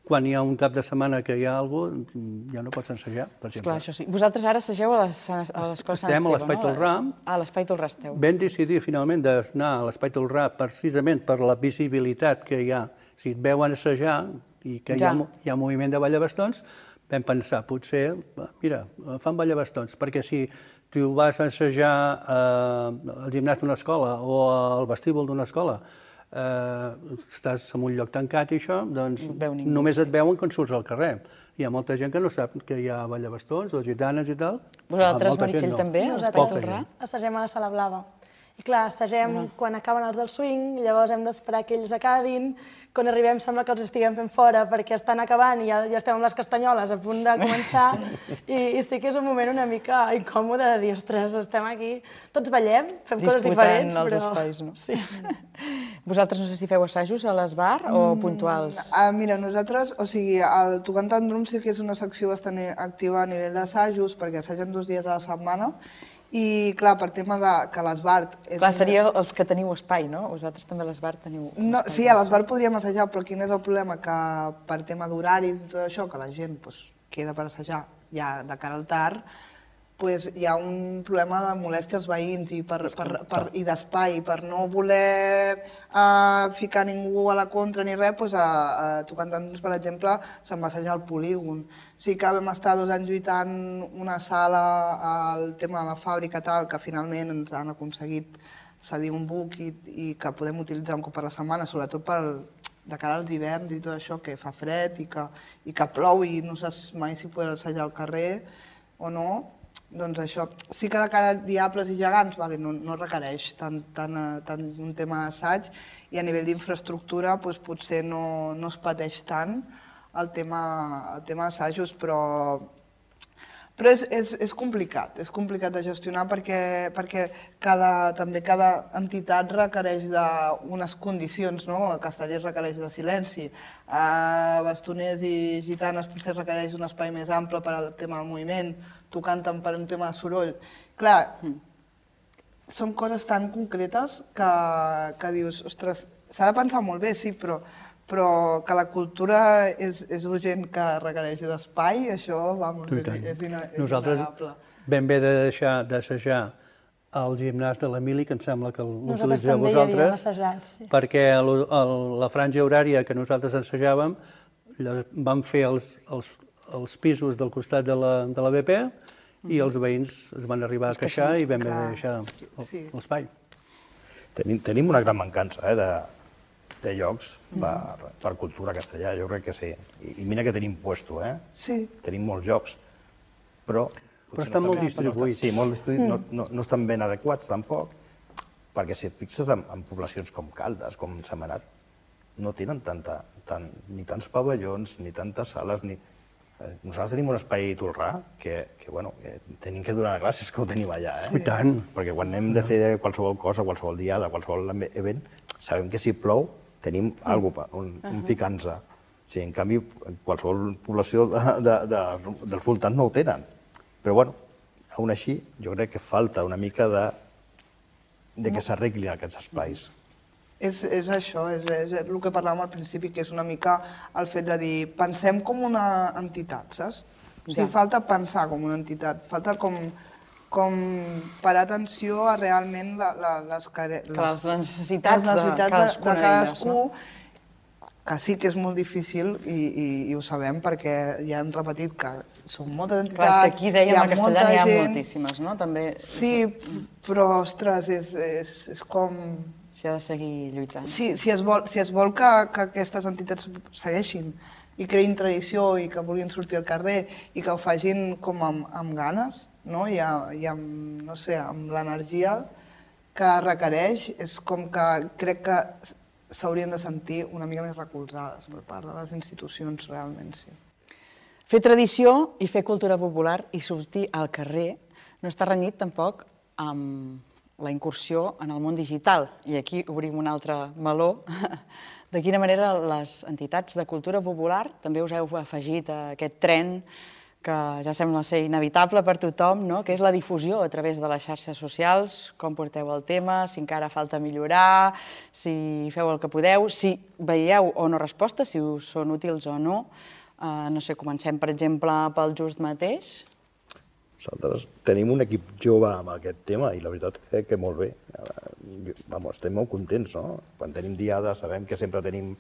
Quan hi ha un cap de setmana que hi ha alguna cosa, ja no pots ensejar, per exemple. Esclar, això sí. Vosaltres ara assageu a les- a l'Escola Sant Estem a Esteve, l'Espai no? Tolrà. A l'Espai Tolrà esteu. Vam decidir finalment d'anar a l'Espai Tolrà precisament per la visibilitat que hi ha. Si et veuen assajar i que hi ha, Ja. mo- hi ha moviment de ballabastons, vam pensar, potser, mira, fan ballabastons, perquè si tu vas a assajar eh, al gimnàs d'una escola o al vestíbul d'una escola, eh, estàs en un lloc tancat i això, doncs No et veu ningú, només et veuen quan surts al carrer. Hi ha molta gent que no sap que hi ha ballabastons o gitanes i tal. Vosaltres, Molta gent Meritxell, no. també, a l'Espai Poca Tolrà? gent. Assagem a la Sala Blava. I clar, assagem quan acaben els del swing, llavors hem d'esperar que ells acabin. Quan arribem sembla que els estiguem fent fora perquè estan acabant i ja, ja estem amb les castanyoles a punt de començar. I, I sí que és un moment una mica incòmode de dir, ostres, estem aquí, tots ballem, fem coses Disputant diferents, els però... espais, no? Sí. Vosaltres no sé si feu assajos a l'Esbar o puntuals? Ah, mira, nosaltres, o sigui, el Tocant Tandrum sí que és una secció bastant activa a nivell d'assajos, perquè assagen dos dies a la setmana, i clar, per tema de que l'Esbart... és Clar, un- seria els que teniu espai, no? Vosaltres també a l'Esbar teniu No, espai. sí, a l'Esbart podríem assajar, però quin és el problema? Que per tema d'horaris i tot això, que la gent pues, queda per assajar ja de cara al tard, pues, hi ha un problema de molèstia als veïns i, per, per, per, i d'espai. Per no voler uh, ficar ningú a la contra ni res, pues, a, a Tocant Tandrums, per exemple, se'n va assajar al polígon. Sí que vam estar dos anys lluitant una sala al tema de la fàbrica tal, que finalment ens han aconseguit cedir un buc i, i que podem utilitzar un cop per la setmana, sobretot per, de cara als hiverns i tot això, que fa fred i que, i que plou i no saps mai si podràs assajar al carrer o no, doncs això sí que de cara a Diables i Gegants vale, no, no requereix tant, tant, tant un tema d'assaig i a nivell d'infraestructura doncs, potser no, no es pateix tant el tema, el tema d'assajos, però Però és, és, és complicat, és complicat de gestionar perquè, perquè cada, també cada entitat requereix d'unes condicions, no? Castellers requereix de silenci, a Bastoners i Gitanes potser requereix un espai més ample per al tema del moviment, tu canten per un tema de soroll. Clar, són coses tan concretes que, que dius, ostres, s'ha de pensar molt bé, sí, però però que la cultura és, és urgent que requereix d'espai, això vamos, és, és, ina, és Nosaltres innegable. vam haver de deixar d'assajar al gimnàs de l'Emili, que em sembla que l'utilitzeu vosaltres, sí. perquè el, el, la franja horària que nosaltres assajàvem vam fer els, els, els pisos del costat de la, de la B P i els veïns es van arribar a queixar i vam haver de deixar l'espai. Tenim, tenim una gran mancança eh, de, de llocs per, per cultura castellà, jo crec que sí. I, i mira que tenim puesto, eh? Sí. Tenim molts llocs, però... Però estan molt distribuïts. Sí, molt distribuïts, no, no, no estan ben adequats tampoc, perquè si et fixes en, en poblacions com Caldes, com Sentmenat, no tenen tanta, tant, ni tants pavellons, ni tantes sales, ni... Nosaltres tenim un espai Tolrà que, que bueno, que tenim que donar gràcies que ho tenim allà, eh? I tant. Perquè quan hem de fer qualsevol cosa, qualsevol diada, qualsevol event, sabem que si plou tenim alguna cosa, un, un ficant-se. O sigui, en canvi, qualsevol població de, de, de, dels voltants no ho tenen. Però, bueno, aún així, jo crec que falta una mica de, de que s'arreglin aquests espais. És, és això, és, és el que parlàvem al principi, que és una mica el fet de dir, pensem com una entitat, saps? O sigui, falta pensar com una entitat, falta com, com parar atenció a realment la, la, les, les, les necessitats, les necessitats de, de cadascú, no? Que sí que és molt difícil i, i, i ho sabem perquè ja hem repetit que són moltes entitats, clar, és que aquí dèiem, hi ha a Castellà n'hi ha gent... moltíssimes, no? També... Sí, però, ostres, és, és, és com... S'hi ha de seguir lluitant. Sí, si es vol, si es vol que, que aquestes entitats segueixin i creïn tradició i que vulguin sortir al carrer i que ho facin com amb, amb ganes, no? I, a, i amb, no sé, amb l'energia que requereix, és com que crec que s'haurien de sentir una mica més recolzades per part de les institucions, realment, sí. Fer tradició i fer cultura popular i sortir al carrer no està renyit tampoc amb la incursió en el món digital. I aquí obrim un altre meló. De quina manera les entitats de cultura popular també us heu afegit a aquest tren que ja sembla ser inevitable per tothom, no? Que és la difusió a través de les xarxes socials, com porteu el tema, si encara falta millorar, si feu el que podeu, si veieu o no respostes, si us són útils o no. Uh, no sé, comencem, per exemple, pel Just mateix. Nosaltres tenim un equip jove amb aquest tema i la veritat crec que molt bé. Vamos, estem molt contents, no? Quan tenim diades sabem que sempre tenim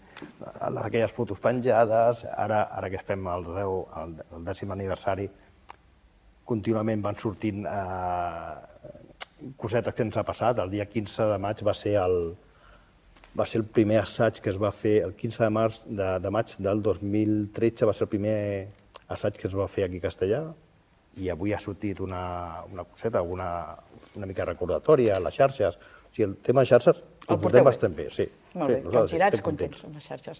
aquelles fotos penjades, ara, ara que fem el, deu, el, el dècim aniversari, contínuament van sortint eh, cosetes que ens ha passat. El dia quinze de maig va ser el, va ser el primer assaig que es va fer, el quinze de març de, de maig del dos mil tretze va ser el primer assaig que es va fer aquí a Castellà, i avui ha sortit una, una coseta, una, una mica recordatòria a les xarxes. O sigui, el tema de xarxes el portem bastant bé, sí. Molt bé, capgirats, contents amb les xarxes.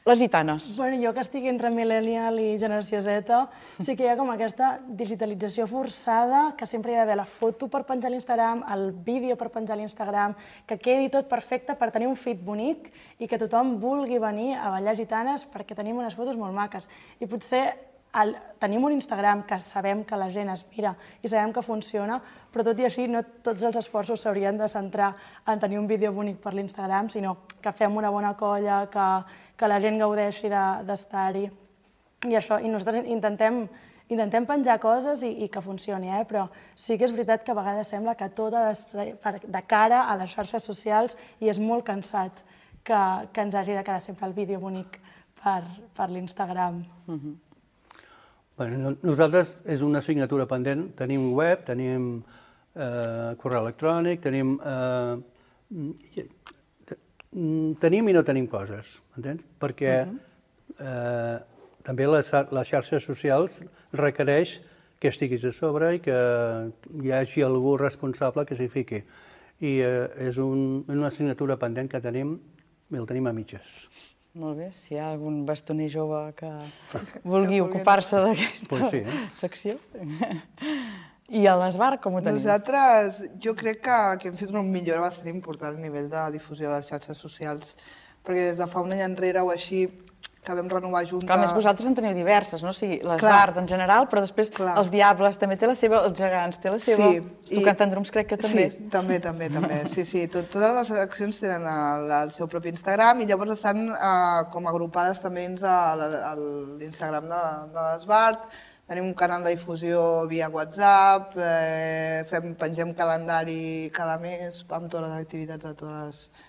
Les gitanes. Bueno, jo que estic entre millennial i generació Z, sí que hi ha com aquesta digitalització forçada, que sempre hi ha d'haver la foto per penjar a l'Instagram, el vídeo per penjar a l'Instagram, que quedi tot perfecte per tenir un feed bonic i que tothom vulgui venir a ballar gitanes perquè tenim unes fotos molt maques. I potser el, tenim un Instagram que sabem que la gent es mira i sabem que funciona, però tot i així no tots els esforços s'haurien de centrar en tenir un vídeo bonic per l'Instagram, sinó que fem una bona colla, que, que la gent gaudeixi d'estar-hi. I això, i nosaltres intentem, intentem penjar coses i, i que funcioni, eh? Però sí que és veritat que a vegades sembla que tot ha de, de cara a les xarxes socials i és molt cansat que, que ens hagi de quedar sempre el vídeo bonic per, per l'Instagram. Uh-huh. Bueno, nosaltres és una assignatura pendent, tenim web, tenim eh, correu electrònic, tenim... Eh, tenim i no tenim coses, entens? Perquè eh, també les, les xarxes socials requereix que estiguis a sobre i que hi hagi algú responsable que s'hi fiqui. I eh, és un, una assignatura pendent que tenim i el tenim a mitges. Molt bé, si hi ha algun bastoner jove que vulgui ocupar-se d'aquesta pues sí, eh? secció. I a l'Esbar com ho tenim? Nosaltres, jo crec que, que hem fet una millora bastant important a nivell de difusió de les xarxes socials, perquè des de fa un any enrere o així que vam renovar junta... Clar, més vosaltres en teniu diverses, no? O sigui, l'Esbar en general, però després Clar. els Diables també té la seva, els Gegants té la seva... Sí, els Tocantandrums crec que també. Sí, també, també, també. Sí, sí, tot, totes les accions tenen el, el seu propi Instagram i llavors estan eh, com agrupades també dins l'Instagram de, de l'Esbar. Tenim un canal de difusió via WhatsApp, eh, fem, pengem calendari cada mes amb totes les activitats de totes les,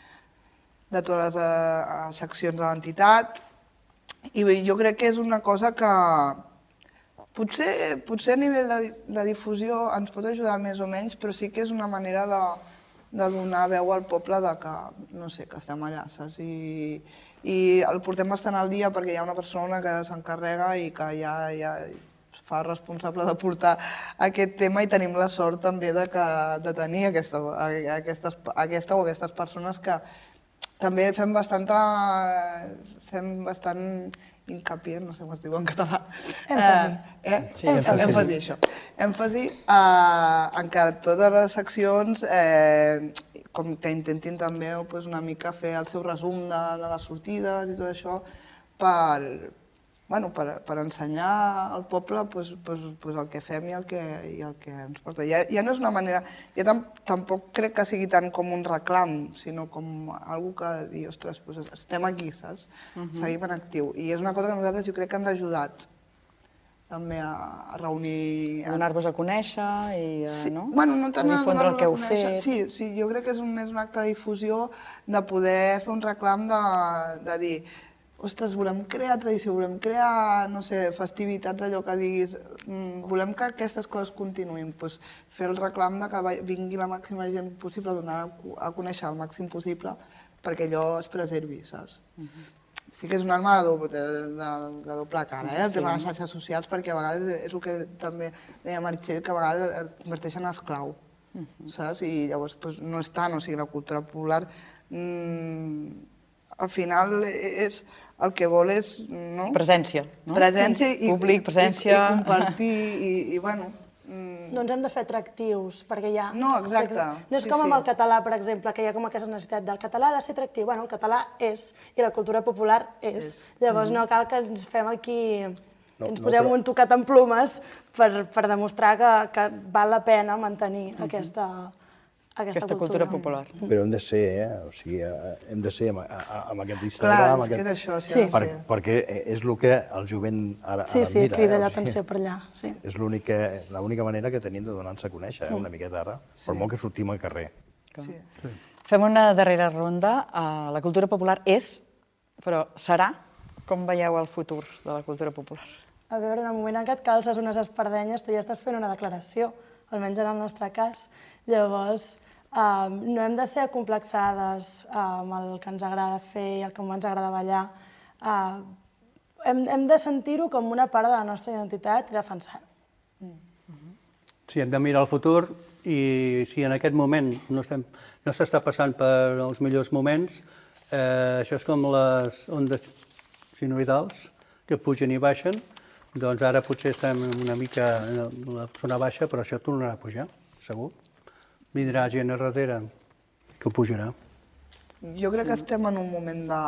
de totes les eh, seccions de l'entitat. I jo crec que és una cosa que potser, potser a nivell de, de difusió ens pot ajudar més o menys, però sí que és una manera de, de donar veu al poble de que, no sé, que estem allà, saps? I, i el portem bastant al dia perquè hi ha una persona que s'encarrega i que ja, ja fa responsable de portar aquest tema i tenim la sort també de, que, de tenir aquesta, aquestes, aquesta o aquestes persones que també fem bastanta, fem bastant hincapié, no sé com es diu en català. Èmfasi. Eh, eh? Sí, èmfasi. èmfasi, això. Èmfasi eh, en que totes les seccions, eh, com que intentin també pues, una mica fer el seu resum de, de les sortides i tot això, per, bueno, per, per ensenyar al poble pues, pues, pues el que fem i el que, i el que ens porta. Ja, ja no és una manera, ja tam, tampoc crec que sigui tant com un reclam, sinó com algú que dir, ostres, pues estem aquí, saps? Uh -huh. Seguim en actiu. I és una cosa que nosaltres jo crec que ens ha ajudat també a, a reunir... A donar-vos a conèixer i sí. no? Bueno, no tant a difondre el que heu fet. Sí, sí, jo crec que és un, més un acte de difusió de poder fer un reclam de, de dir ostres, volem crear tradició, volem crear, no sé, festivitats, allò que diguis, volem que aquestes coses continuïn, doncs fer el reclam de que vingui la màxima gent possible, donar a conèixer el màxim possible perquè allò es preservi, saps? Sí que és una arma de, do, de, de, de doble cara, eh, el sí. tema de les xarxes socials, perquè a vegades és el que també deia Meritxell, que a vegades es converteixen en esclau, saps? I llavors doncs, no és tant, o sigui, la cultura popular... Mmm, al final és, el que vol és... No? Presència, no? Presència i, públic, presència... i, i compartir i, i bueno... Mm... No ens hem de fer atractius, perquè hi ha... No, exacte. No és sí, com amb sí. el català, per exemple, que hi ha com aquesta necessitat del català ha de ser atractiu. Bueno, el català és, i la cultura popular és. és. Llavors mm-hmm. no cal que ens fem aquí... No, ens posem no, però... un tocat en plumes per, per demostrar que, que val la pena mantenir mm-hmm. aquesta... Aquesta, aquesta cultura, cultura popular. Però hem de ser, eh? O sigui, hem de ser amb, amb aquest Clar, Instagram... és aquest... que és això, sí, sí. ha de per, ser. Perquè és el que el jovent ara, sí, ara sí, mira. Sí, crida eh? l'atenció per allà. Sí. És l'única manera que tenim de donar-nos a conèixer, eh? una miqueta ara, sí. per molt que sortim al carrer. Sí. Sí. Fem una darrera ronda. La cultura popular és, però serà? Com veieu el futur de la cultura popular? A veure, en el moment en què et calces unes espardenyes, tu ja estàs fent una declaració, almenys en el nostre cas. Llavors, Uh, no hem de ser acomplexades uh, amb el que ens agrada fer i el que ens agrada ballar. Uh, hem, hem de sentir-ho com una part de la nostra identitat i defensar-ho. Mm. Sí, hem de mirar el futur i si en aquest moment no estem, no s'està passant per els millors moments, eh, això és com les ondes sinusoidals que pugen i baixen, doncs ara potser estem una mica en la zona baixa, però això tornarà a pujar, segur. Vindrà gent a darrere que ho pujarà. Jo crec sí. que estem en un moment de,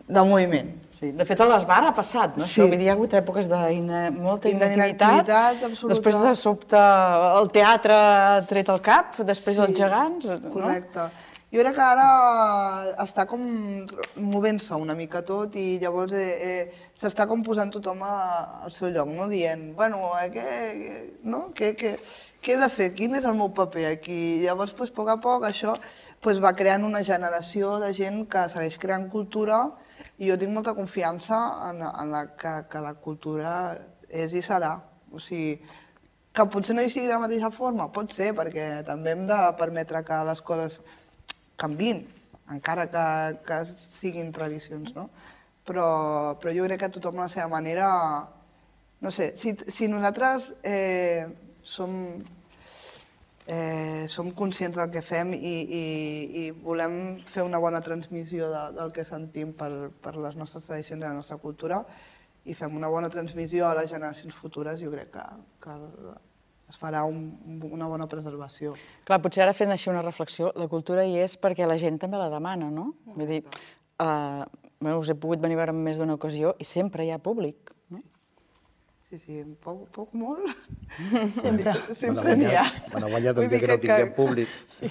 de moviment. Sí. De fet, a l'Esbar ha passat, no? Sí. Això, vull dir, hi ha hagut èpoques de ina... molta inactivitat, inactivitat després de sobte el teatre ha tret el cap, després sí. els gegants, no? Correcte. Jo crec que ara està com movent-se una mica tot i llavors eh, eh, s'està com posant tothom al seu lloc, no? Dient, bueno, eh, què, no? què, què, què he de fer? Quin és el meu paper aquí? Llavors, doncs, a poc a poc, això doncs, va creant una generació de gent que segueix creant cultura i jo tinc molta confiança en, en la, que, que la cultura és i serà. O sigui, que potser no hi sigui de la mateixa forma, pot ser, perquè també hem de permetre que les coses canvin, encara que, que siguin tradicions, no? Però, però jo crec que tothom a la seva manera, no sé, si, si nosaltres eh, som, eh, som conscients del que fem i, i, i volem fer una bona transmissió de, del que sentim per, per les nostres tradicions i la nostra cultura i fem una bona transmissió a les generacions futures, jo crec que, que es farà un, una bona preservació. Clar, potser ara fent així una reflexió, la cultura hi és perquè la gent també la demana, no? Vull dir, uh, bueno, us he pogut venir a veure en més d'una ocasió i sempre hi ha públic, no? Sí, sí, poc, poc molt. Sempre. Sempre n'hi ha. Me n'ha guanyat el dia que no tinguem públic. Sí,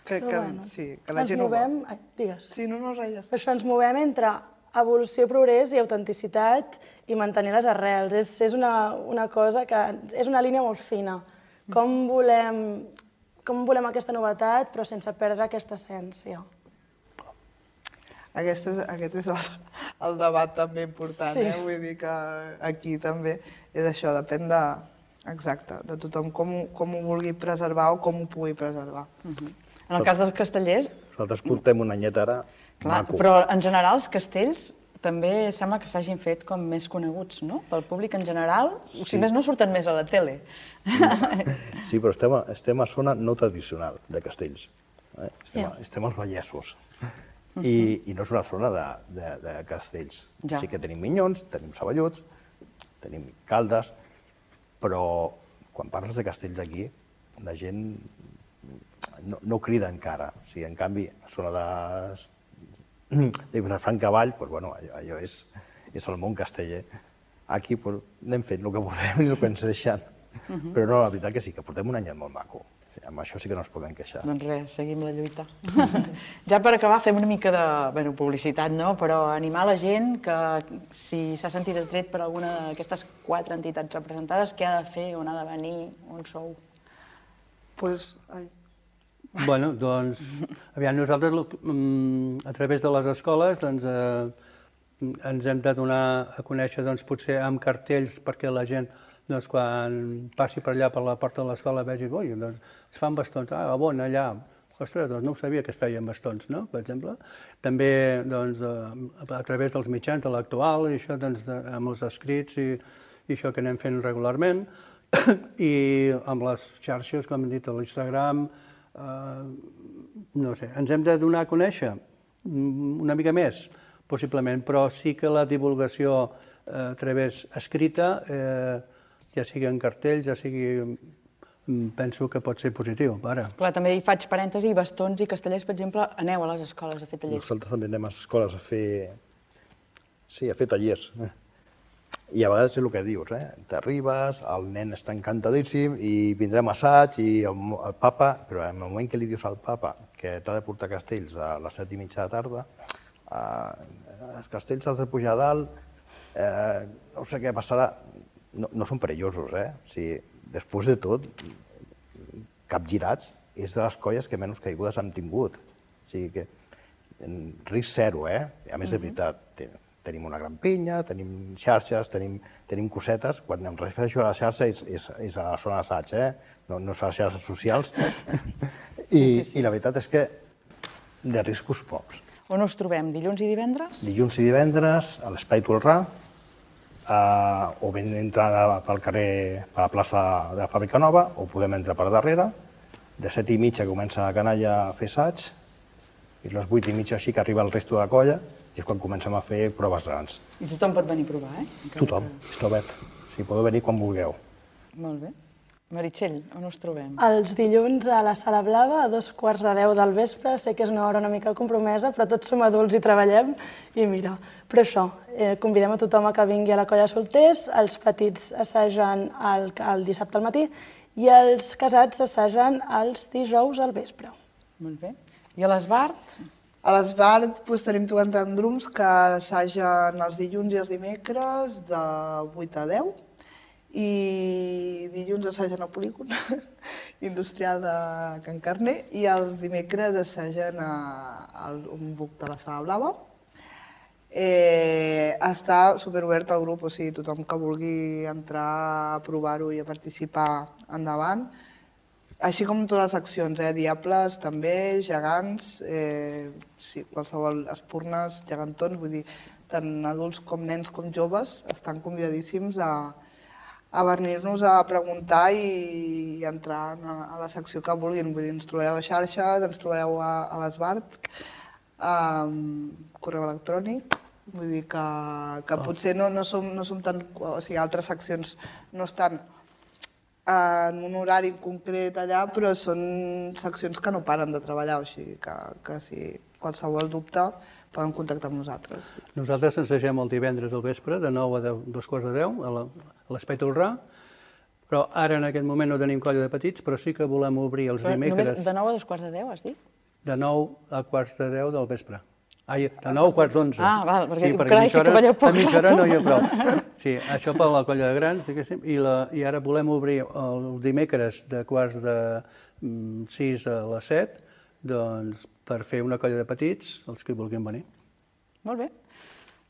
que, que, bueno, sí, que la gent ens ho movem... vol. Ai, digues. Sí, no, no, res. Per això ens movem entre evolució, progrés i autenticitat i mantenir les arrels. És, és una, una cosa que... És una línia molt fina. Com volem, com volem aquesta novetat, però sense perdre aquesta essència. Aquest és, aquest és el, el debat també important, Sí. eh? Vull dir que aquí també és això, depèn de, exacte, de tothom com, ho- com ho vulgui preservar o com ho pugui preservar. En el cas dels castellers, Nosaltres portem un anyet ara clar, maco. però en general els castells també sembla que s'hagin fet com més coneguts, no? Pel públic en general, o si més no surten més a la tele. Sí, però estem a, estem a zona no tradicional de castells. Eh? Estem, a, Ja. estem als Vallesos. I, I no és una zona de, de, de castells. Ja. Sí que tenim minyons, tenim ceballots, tenim caldes, però quan parles de castells aquí, la gent no, no crida encara. O sigui, en canvi, a la zona de, de Vilafranca Vall, doncs, bueno, allò, allò és, és el món casteller. Aquí pues, anem fent el que podem i el que ens deixen. Però no, la veritat que sí, que portem un anyet molt maco. O sigui, amb això sí que no ens podem queixar. Doncs res, seguim la lluita. Ja per acabar, fem una mica de bueno, publicitat, no? Però animar la gent que si s'ha sentit atret per alguna d'aquestes quatre entitats representades, què ha de fer, on ha de venir, on sou? Pues, ai, Bueno, doncs, aviam, nosaltres lo- mm, a través de les escoles doncs, eh, ens hem de donar a conèixer doncs, potser amb cartells perquè la gent doncs, quan passi per allà per la porta de l'escola vegi, oi, doncs, es fan bastons, ah, bon, allà, ostres, doncs no ho sabia que es feien bastons, no?, per exemple. També doncs, eh, a través dels mitjans de l'actual, i això doncs, de, amb els escrits i, i això que anem fent regularment, i amb les xarxes, com hem dit, a l'Instagram, Uh, no sé, ens hem de donar a conèixer una mica més, possiblement, però sí que la divulgació uh, a través escrita, eh, ja sigui en cartells, ja sigui, penso que pot ser positiu, ara. Clar, també hi faig parèntesi, bastons i castellers, per exemple, aneu a les escoles a fer tallers. Nosaltres també anem a les escoles a fer... Sí, a fer tallers. I a vegades és el que dius, eh? T'arribes, el nen està encantadíssim i vindrem a assaig i el, el papa, però en el moment que li dius al papa que t'ha de portar castells a les set i mitja de tarda, eh, els castells has de pujar a dalt, eh, no sé què passarà, no, no són perillosos, eh? O sigui, després de tot, capgirats és de les colles que menys caigudes han tingut. O sigui que risc zero, eh? A més, de veritat, tenim una gran pinya, tenim xarxes, tenim, tenim cosetes. Quan em refereixo a la xarxa és, és, és a la zona d'assaig, eh? No, no és a les xarxes socials. I, Sí, sí, sí. I la veritat és que de riscos pocs. On us trobem? Dilluns i divendres? Dilluns i divendres a l'Espai Tolrà, eh, o ben entrar pel carrer, per la plaça de la Fàbrica Nova, o podem entrar per darrere. De set i mitja comença la canalla a fer assaig, i a les vuit i mitja així que arriba el resto de la colla, i és quan comencem a fer proves grans. I tothom pot venir a provar, eh? Encara Tothom, està obert. Si podeu venir quan vulgueu. que- Molt bé. Meritxell, on us trobem? Els dilluns a la Sala Blava, a dos quarts de deu del vespre. Sé que és una hora una mica compromesa, però tots som adults i treballem. I mira, però això, eh, convidem a tothom a que vingui a la colla de solters, els petits assagen el, el dissabte al matí i els casats assagen els dijous al vespre. Molt bé. I a l'Esbart? a l'Esbart doncs, tenim tocant drums que assagen els dilluns i els dimecres de vuit a deu i dilluns assagen al polígon industrial de Can Carner i el dimecres assagen a, a un buc de la Sala Blava. Eh, està superobert el grup, o sigui, tothom que vulgui entrar a provar-ho i a participar endavant. així com totes les accions, eh? Diables també, gegants, eh, sí, qualsevol espurnes, gegantons, vull dir, tant adults com nens com joves estan convidadíssims a, a venir-nos a preguntar i, i entrar a, a la secció que vulguin. Vull dir, ens trobareu a xarxes, ens trobareu a, a l'Esbart, a correu electrònic, vull dir que, que oh. potser no, no, som, no som tan... O sigui, altres seccions no estan en un horari concret allà, però són seccions que no paren de treballar, o sigui que, que si qualsevol dubte poden contactar amb nosaltres. Nosaltres ens deixem el divendres al vespre, de nou a deu, dos quarts de deu, a l'Espai Tolrà, però ara en aquest moment no tenim colla de petits, però sí que volem obrir els però dimecres... Només de nou a dos quarts de deu, has dit? De nou a quarts de deu del vespre. Ai, de nou a quarts d'onze. Ah, val, perquè, sí, perquè carai, sí que balleu poc a mitja hora rato. no hi ha prou. Sí, això per la colla de grans, diguéssim, i, la, i ara volem obrir el dimecres de quarts de mm, sis a les set, doncs per fer una colla de petits, els que vulguin venir. Molt bé.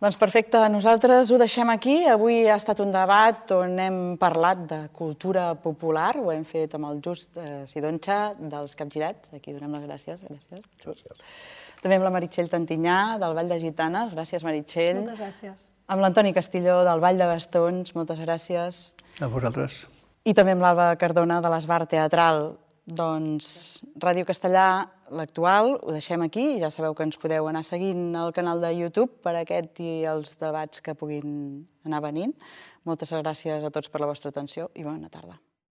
Doncs perfecte, nosaltres ho deixem aquí. Avui ha estat un debat on hem parlat de cultura popular, ho hem fet amb el Just eh, Sidonxa dels Capgirats, aquí donem les gràcies. Gràcies. gràcies. També amb la Meritxell Tantinyà, del Vall de Gitanes, gràcies Meritxell. Moltes gràcies. Amb l'Antoni Castilló, del Vall de Bastons, moltes gràcies. A vosaltres. I també amb l'Alba Cardona, de l'Esbart Teatral. Doncs Ràdio Castellà, l'actual, ho deixem aquí. Ja sabeu que ens podeu anar seguint al canal de YouTube per aquest i els debats que puguin anar venint. Moltes gràcies a tots per la vostra atenció i bona tarda.